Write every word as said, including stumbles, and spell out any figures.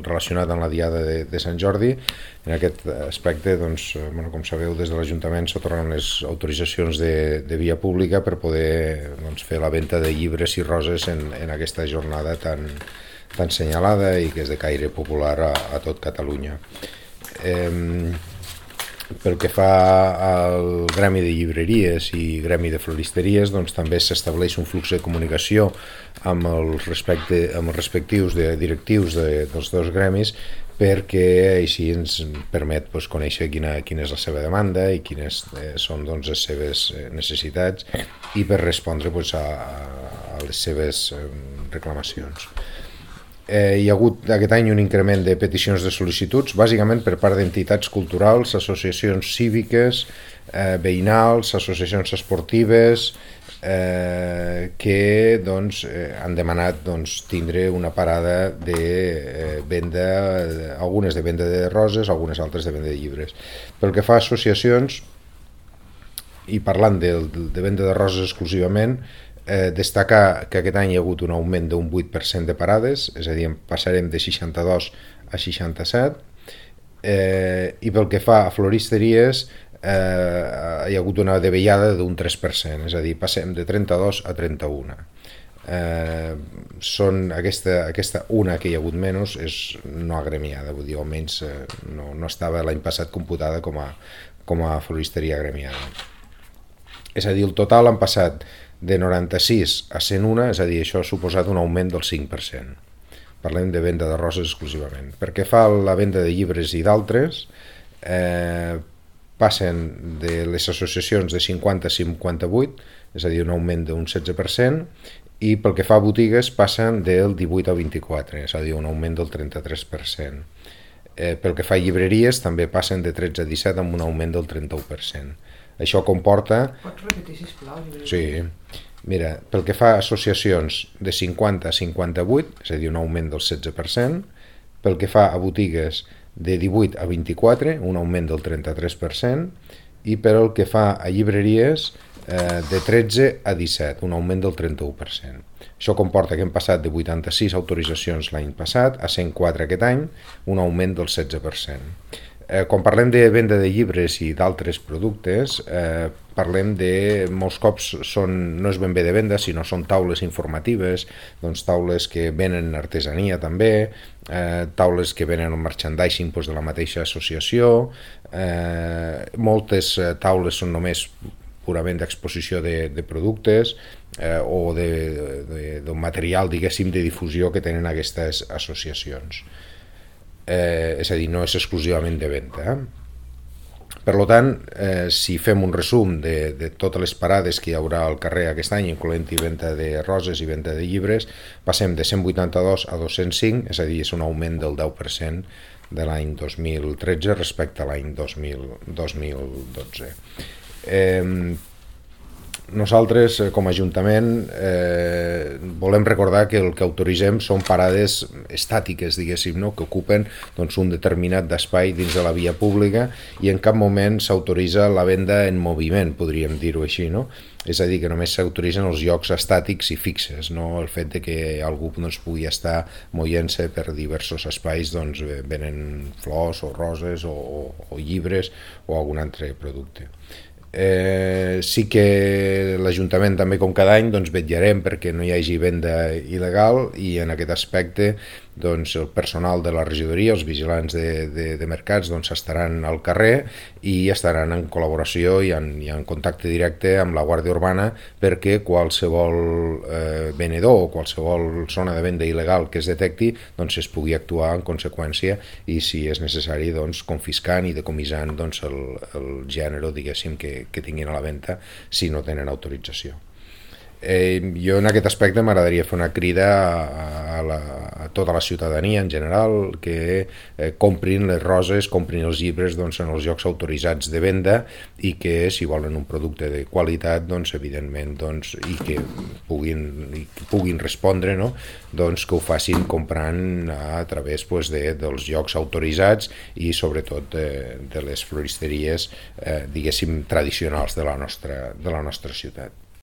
relacionat amb la Diada de, de Sant Jordi. En aquest aspecte, doncs, bueno, com sabeu, des de l'Ajuntament s'atornen les autoritzacions de, de via pública per poder, doncs, fer la venda de llibres i roses en, en aquesta jornada tan, tan senyalada i que és de caire popular a, a tot Catalunya. Eh, Pel que fa al gremi de llibreries i gremi de floristeries, doncs també s'estableix un flux de comunicació amb els, respecte, amb els respectius de, directius de, dels dos gremis, perquè així ens permet doncs, conèixer quina, quina és la seva demanda i quines eh, són doncs, les seves necessitats i per respondre doncs, a, a les seves eh, reclamacions. Eh, hi ha hagut aquest any un increment de peticions de sol·licituds, bàsicament per part d'entitats culturals, associacions cíviques, eh, veïnals, associacions esportives, eh, que doncs, eh, han demanat doncs, tindre una parada de eh, venda, algunes de venda de roses, algunes altres de venda de llibres. Pel que fa a associacions, i parlant de, de venda de roses exclusivament, Eh, destacar que aquest any hi ha hagut un augment d'un vuit per cent de parades, és a dir, passarem de seixanta-dos a seixanta-set, eh, i pel que fa a floristeries eh, hi ha hagut una davallada d'un tres per cent, és a dir, passem de trenta-dos a trenta-un. Eh, són aquesta, aquesta una que hi ha hagut menys és no agremiada, vull dir, almenys eh, no, no estava l'any passat computada com a, com a floristeria agremiada. És a dir, el total han passat de noranta-sis a cent un, és a dir, això ha suposat un augment del cinc per cent. Parlem de venda de roses exclusivament. Perquè fa la venda de llibres i d'altres, eh, passen de les associacions de cinquanta a cinquanta-vuit, és a dir, un augment d'un setze per cent, i pel que fa a botigues passen del divuit al vint-i-quatre, és a dir, un augment del trenta-tres per cent. Eh, pel que fa a llibreries també passen de tretze a disset amb un augment del trenta-u per cent. Això comporta... Pots repetir, sisplau? Sí. Mira, pel que fa a associacions de cinquanta a cinquanta-vuit, és a dir, un augment del setze per cent. Pel que fa a botigues de divuit a vint-i-quatre, un augment del trenta-tres per cent. I pel que fa a llibreries, eh, de tretze a disset, un augment del trenta-u per cent. Això comporta que hem passat de vuitanta-sis autoritzacions l'any passat a cent quatre aquest any, un augment del setze per cent. Eh, quan parlem de venda de llibres i d'altres productes, eh, parlem de, molts cops són, no és ben bé de venda, sinó són taules informatives, doncs taules que venen artesania també, eh, taules que venen un merchandising doncs, de la mateixa associació, eh, moltes taules són només purament d'exposició de, de productes eh, o d'un material, diguéssim, de difusió que tenen aquestes associacions. Eh, és a dir, no és exclusivament de venda. Eh? Per tant, eh, si fem un resum de, de totes les parades que hi haurà al carrer aquest any, incloent-hi venda de roses i venda de llibres, passem de cent vuitanta-dos a dos-cents cinc, és a dir, és un augment del deu per cent de l'any dos mil tretze respecte a l'any dos mil dotze. Eh, Nosaltres, com a Ajuntament, eh, volem recordar que el que autoritzem són parades estàtiques, diguéssim, no? Que ocupen doncs, un determinat espai dins de la via pública i en cap moment s'autoritza la venda en moviment, podríem dir-ho així, no? És a dir, que només s'autoritzen els llocs estàtics i fixes, no? El fet de que algú doncs, pugui estar movent-se per diversos espais, doncs venen flors o roses o, o, o llibres o algun altre producte. Eh, sí que l'Ajuntament també com cada any doncs, vetllarem perquè no hi hagi venda il·legal i en aquest aspecte doncs, el personal de la regidoria, els vigilants de, de, de mercats doncs, estaran al carrer i estaran en col·laboració i en, i en contacte directe amb la Guàrdia Urbana perquè qualsevol eh, venedor o qualsevol zona de venda il·legal que es detecti doncs, es pugui actuar en conseqüència i si és necessari doncs, confiscant i decomissant doncs, el, el gènere diguéssim que, que tinguin a la venda si no tenen autorització. Eh, jo en aquest aspecte m'agradaria fer una crida a, a, la, a tota la ciutadania en general que eh, comprin les roses, comprin els llibres doncs, en els llocs autoritzats de venda i que si volen un producte de qualitat doncs, evidentment doncs, i que puguin, i que puguin respondre no? doncs, que ho facin comprant a través doncs, de, dels llocs autoritzats i sobretot de, de les floristeries eh, diguéssim tradicionals de la nostra, de la nostra ciutat.